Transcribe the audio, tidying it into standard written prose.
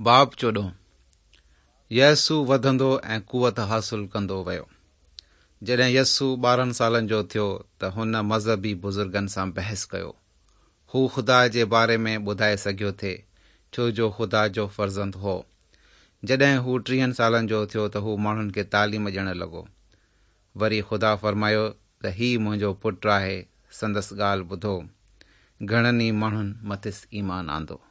باب 14 يسوع وڌندو ۽ قوت حاصل ڪندو ويو. جڏهن يسوع 12 سالن جو ٿيو ته هن مذهبي بزرگن سان بحث ڪيو. هو خدا جي باري ۾ ٻڌائي سگهيو ٿي، ڇو جو خدا جو فرزند هو. جڏهن هو 30 سالن جو ٿيو ته هو ماڻهن کي تعليم ڏيڻ لڳو. وري خدا فرمايو ته هي منهنجو پٽ آهي، سندس ڳالهه ٻڌو. گهڻن ئي ماڻهن مٿس ايمان آندو.